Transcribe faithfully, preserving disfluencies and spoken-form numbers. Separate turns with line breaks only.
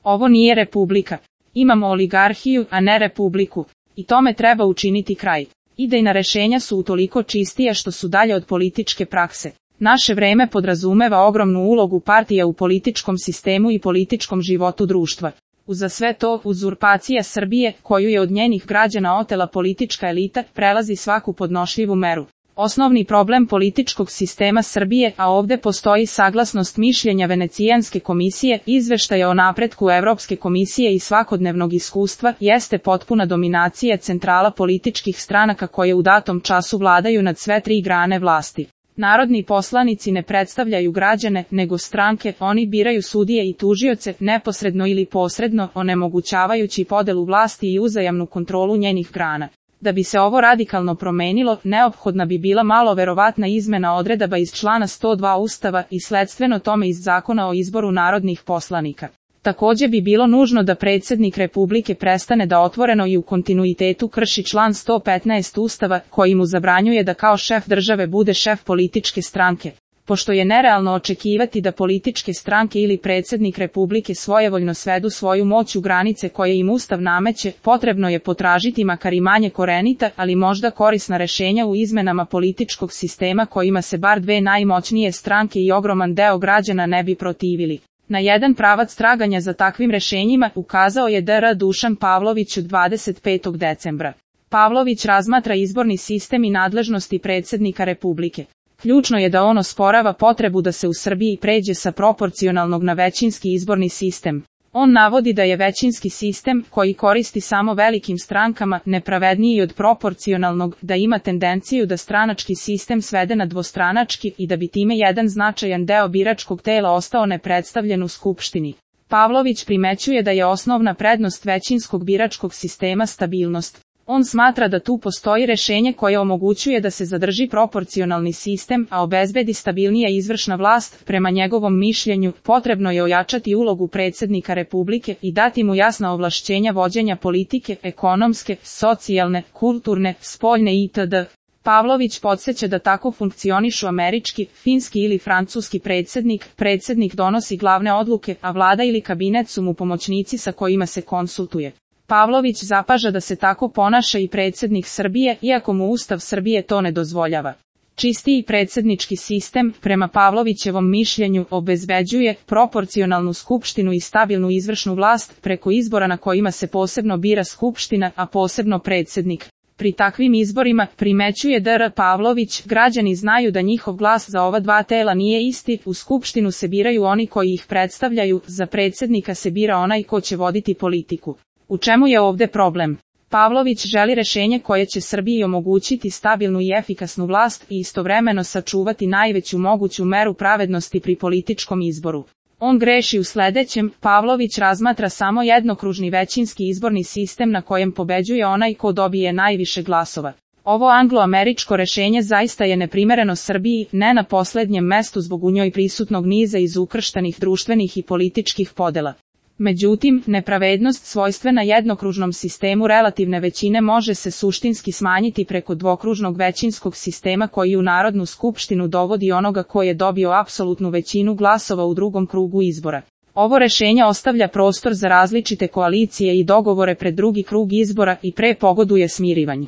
Ovo nije republika. Imamo oligarhiju, a ne republiku. I tome treba učiniti kraj. Idejna rešenja su utoliko čistija što su dalje od političke prakse. Naše vreme podrazumeva ogromnu ulogu partija u političkom sistemu i političkom životu društva. Uza sve to, uzurpacija Srbije, koju je od njenih građana otela politička elita, prelazi svaku podnošljivu meru. Osnovni problem političkog sistema Srbije, a ovde postoji saglasnost mišljenja Venecijanske komisije, izveštaja o napretku Evropske komisije i svakodnevnog iskustva, jeste potpuna dominacija centrala političkih stranaka koje u datom času vladaju nad sve tri grane vlasti. Narodni poslanici ne predstavljaju građane, nego stranke, oni biraju sudije i tužioce, neposredno ili posredno, onemogućavajući podelu vlasti i uzajamnu kontrolu njenih grana. Da bi se ovo radikalno promenilo, neophodna bi bila malo verovatna izmena odredaba iz člana sto dva Ustava i sledstveno tome iz Zakona o izboru narodnih poslanika. Takođe bi bilo nužno da predsjednik Republike prestane da otvoreno i u kontinuitetu krši član sto petnaest Ustava, koji mu zabranjuje da kao šef države bude šef političke stranke. Pošto je nerealno očekivati da političke stranke ili predsjednik Republike svojevoljno svedu svoju moć u granice koje im Ustav nameće, potrebno je potražiti makar i manje korenita, ali možda korisna rešenja u izmenama političkog sistema kojima se bar dve najmoćnije stranke i ogroman deo građana ne bi protivili. Na jedan pravac traganja za takvim rešenjima ukazao je dr Dušan Pavlović dvadeset petog decembra. Pavlović razmatra izborni sistem i nadležnosti predsjednika Republike. Ključno je da on osporava potrebu da se u Srbiji pređe sa proporcionalnog na većinski izborni sistem. On navodi da je većinski sistem, koji koristi samo velikim strankama, nepravedniji od proporcionalnog, da ima tendenciju da stranački sistem svede na dvostranački i da bi time jedan značajan deo biračkog tela ostao nepredstavljen u Skupštini. Pavlović primećuje da je osnovna prednost većinskog biračkog sistema stabilnost. On smatra da tu postoji rešenje koje omogućuje da se zadrži proporcionalni sistem, a obezbedi stabilnija izvršna vlast. Prema njegovom mišljenju, potrebno je ojačati ulogu predsjednika Republike i dati mu jasna ovlašćenja vođenja politike, ekonomske, socijalne, kulturne, spoljne itd. Pavlović podsjeća da tako funkcionišu američki, finski ili francuski predsjednik, predsjednik donosi glavne odluke, a vlada ili kabinet su mu pomoćnici sa kojima se konsultuje. Pavlović zapaža da se tako ponaša i predsjednik Srbije, iako mu Ustav Srbije to ne dozvoljava. Čistiji predsjednički sistem, prema Pavlovićevom mišljenju, obezbeđuje proporcionalnu skupštinu i stabilnu izvršnu vlast preko izbora na kojima se posebno bira skupština, a posebno predsjednik. Pri takvim izborima, primećuje dr Pavlović, građani znaju da njihov glas za ova dva tela nije isti, u skupštinu se biraju oni koji ih predstavljaju, za predsjednika se bira onaj ko će voditi politiku. U čemu je ovde problem? Pavlović želi rešenje koje će Srbiji omogućiti stabilnu i efikasnu vlast i istovremeno sačuvati najveću moguću meru pravednosti pri političkom izboru. On greši u sledećem, Pavlović razmatra samo jednokružni većinski izborni sistem na kojem pobeđuje onaj ko dobije najviše glasova. Ovo anglo-američko rešenje zaista je neprimereno Srbiji, ne na poslednjem mestu zbog u njoj prisutnog niza izukrštanih društvenih i političkih podela. Međutim, nepravednost svojstvena jednokružnom sistemu relativne većine može se suštinski smanjiti preko dvokružnog većinskog sistema koji u Narodnu skupštinu dovodi onoga ko je dobio apsolutnu većinu glasova u drugom krugu izbora. Ovo rešenje ostavlja prostor za različite koalicije i dogovore pred drugi krug izbora i pre pogoduje smirivanju.